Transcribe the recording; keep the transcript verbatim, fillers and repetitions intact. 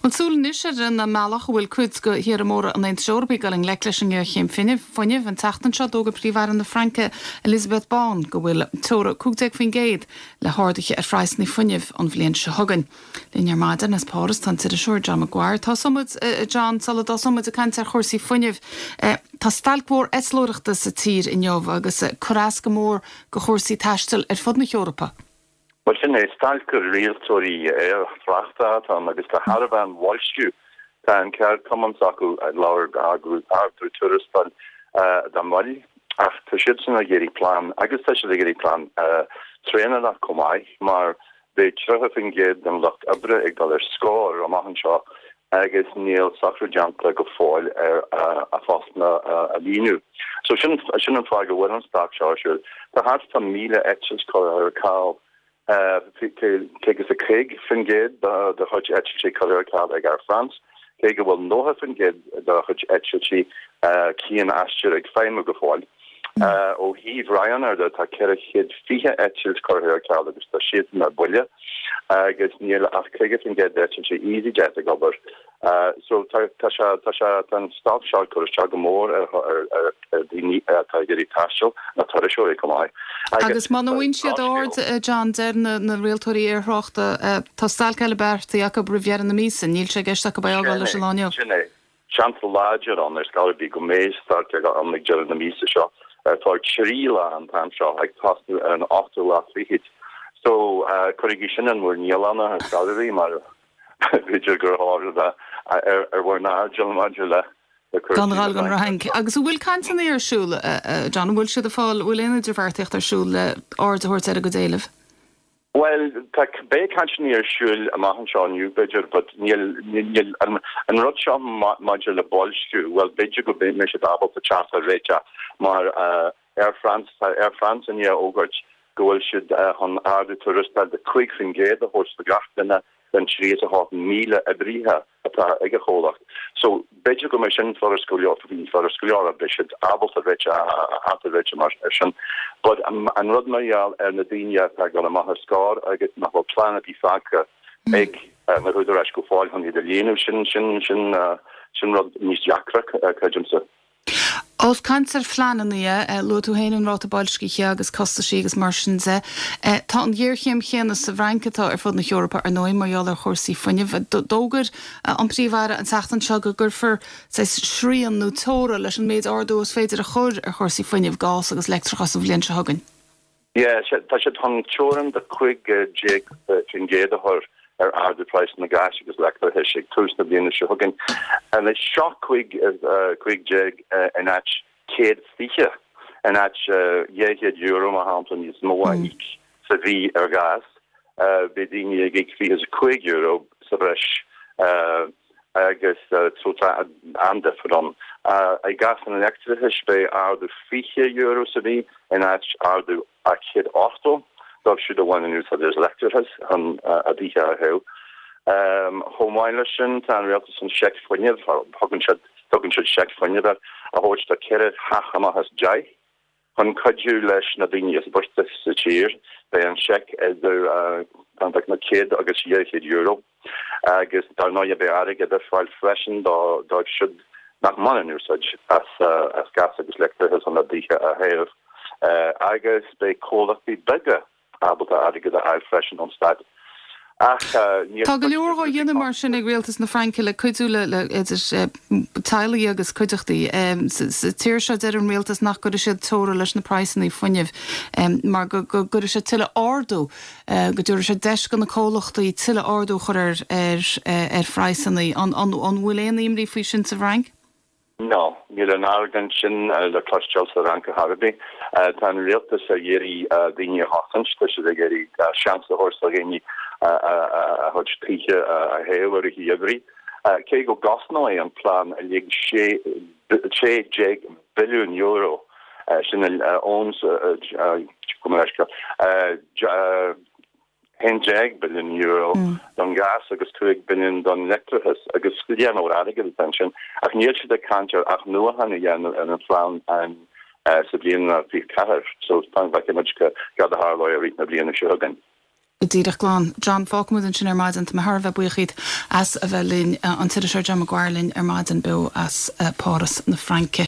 Bhuel, súil anois ar an mbealach a bhfuil cuid de thíortha móra an Aontais Eorpaigh ag dul i ngleic leis an ngéarchéim fuinnimh. An tseachtain seo, d'fhógair Príomh-Aire na Fraince, Elisabeth Borne, go bhfuil teora cúig déag faoin gcéad le harduithe ar phraghsanna fuinnimh an bhliain seo chugainn. Linn ar maidin as Páras tá an t-iriseoir John McGuire. Tosóidh muid, John, sula dtosóidh muid ag caint ar chúrsaí fuinnimh. Tá stailc mhór eitleoireachta sa tír inniu agus cur as go mór do chúrsaí taistil ar fud na hEorpa. Well sin é stailc rialtóirí aerthráchta atá ann agus tá thar a bheith an bhoilsciú tá an ceardchumann s'acu ag labhair ardú tuarastail dá mbail ach tá siadsan ag iarraidh plean agus tá siad ag iarraidh plean traenach chomh maith mar beidh tríocha faoin gcéad den lucht oibre ag dul ar scor amach anseo agus níl socrú déanta go fóill ar a phostanna a líonadh. So sin sin an fáth go bhfuil an stailc seo ar siúl. Tá thart fá míle eitilt curtha ar ceal céad is a cúig faoin gcéad de chuid eitiltí curtha ar ceal ag Air France, cé go bhfuil nócha faoin gcéad de chuid eitiltí cian-aistir ag feidhmiú go fóill. Ó thaobh Ryanair de tá ceithre chéad fiche eitilt curtha ar ceal agus tá siad ar buile agus níl ach caoga faoin gcéad d'eitiltí EasyJet ag obair. So tá tá sé tá sé tá an stailc seo ag cur isteach go mór ar ar ar ar daoine atá ag iarraidh taisteal na turasóirí chomh maith. Agus muna bhfaigheann siad aird, John, deir na na rialtóirí aerthráchta, tá stailc eile beartaithe acu roimh dheireadh na míosa, níl sé i gceist acu é a fhágáil leis an lá inniu. Sin é. Seans láidir ann ar scor ar bith go mbeidh stailc ann ag deireadh na míosa seo. Tá trí lá an t-am seo ag tosnú ar an ochtú lá fichead. So cuirigí sin in bhur ndialanna ar scor ar bith mar b'fhéidir gur tharla ar ar bhur n-airdeall maidir le Gan a dhul don Fhrainc. Agus an bhfuil cainteanna ar siúl, John, an bhfuil siad ag fáil, an bhfuil aon idirbheartaíocht ar siúl le aird a thabhairt ar a gcuid éileamh? Bhuel, tá beidh cainteanna ar siúl amach anseo inniu b'fhéidir, but níl níl an an rud seo maidir le boilsciú, bhuel b'fhéidir go mbeidh siad ábalta teacht ar réiteach mar Air France, tá Air France i ndiaidh a fhógairt go bhfuil siad chun ardú tuarastail de cúig faoin gcéad a thabhairt do gach duine den trí is a hocht míle oibrithe atá ag a chomhlacht. So b'fhéidir go mbeidh sin furast go leor furast go leor beidh siad ábalta réiteach a theacht ar réiteach mar ar sin. But an rud mar gheall ar na daoine atá ag dul amach ar scor agus nach bhfuil plean ar bith fágtha ag na húdaráis go fóill chun iad a líonadh sin sin sin sin rud níos deacra creidimse. Ós caint ar phleananna, luaigh tú féin an ráta boilscithe agus costaisí agus mar sin de. Tá an ghéarchéim chéanna sa bhFrainc atá ar fud na hEorpa ar ndóigh mar gheall ar chúrsaí fuinnimh. D'fhógair an Príomh-Aire an tseachtain seo go gcuirfear srian nó teora leis an méid ardú is féidir a chur ar chúrsaí fuinnimh, gás agus leictreachas an bhliain seo chugainn. Yeah, tá siad chun teorainn de cúig déag faoin gcéad a chur ar ardú praghsanna gáis agus leictreachais ag tús na bliana seo chugainn. Anois seo cúig cúig déag in áit céad fiche in áit dhá chéad euro mar shampla níos mó a íoc sa mhí ar ghás, beidh daoine ag íoc fiche is a cúig euro sa bhreis agus so tá an-difear ann. I gcás an leictreachais beidh ardú fiche euro sa mhí in áit ardú céad ochtó dóibh siúd a bhaineann úsáid as leictreachas chun a dtithe a théamh. Chomh maith leis sin tá an rialtas an seic fuinnimh, thugann siad tugann siad seic fuinnimh air, a thabhairt do ceithre theach amach as deich chun cuidiú leis na daoine is boichte sa tír. Beidh an seic idir na céad agus dhá chéad euro agus dar ndóigh beidh airgead ar fáil freisin dóibh siúd nach mbaineann úsáid as as gas agus leictreachas chun a dtithe a théamh. Agus beidh comhlachtaí beaga ábalta airgead a fháil freisin ón stát. Ach níor Tá go leor á dhéanamh mar sin ag rialtas na Fraince le cuidiú le le idir teaghlaigh agus cuideachtaí. Sa tír seo deir an rialtas nach gcuirfidh siad teora leis na praghsanna fuinnimh mar go go gcuirfidh sé tuilleadh ardú, go dtabharfaidh sé deis do na comhlachtaí tuilleadh ardú a chur ar ar ar phraghsanna. An an an bhfuil aon imní faoi sin sa bhFrainc? No, níl an argóint sin le cloisteáil sa Fhrainc ar chor ar bith. Tá an rialtas ag iarraidh daoine a chosaint, tá siad ag iarraidh seans a thabhairt do dhaoine a gcuid tithe a théamh i rith an gheimhridh. Cé go gcosnóidh an plean uilig sé déag billiún euro, sin ón haon déag billiún euro don ghás agus cúig billiún don leictreachas agus lear mór airgid atá ansin ach níl siad ag caint ar athnuachan a dhéanamh ar an phlean sa bhliain fiche ceathair so feicfidh muid cad a tharlóidh i rith na bliana seo chugainn. Go díreach glan. John fágfaimid ansin ar maidin tá mé thar a bheith buíoch as a bheith linn an t-iriseoir John Maguire linn ar maidin beo as Páras na Fraince.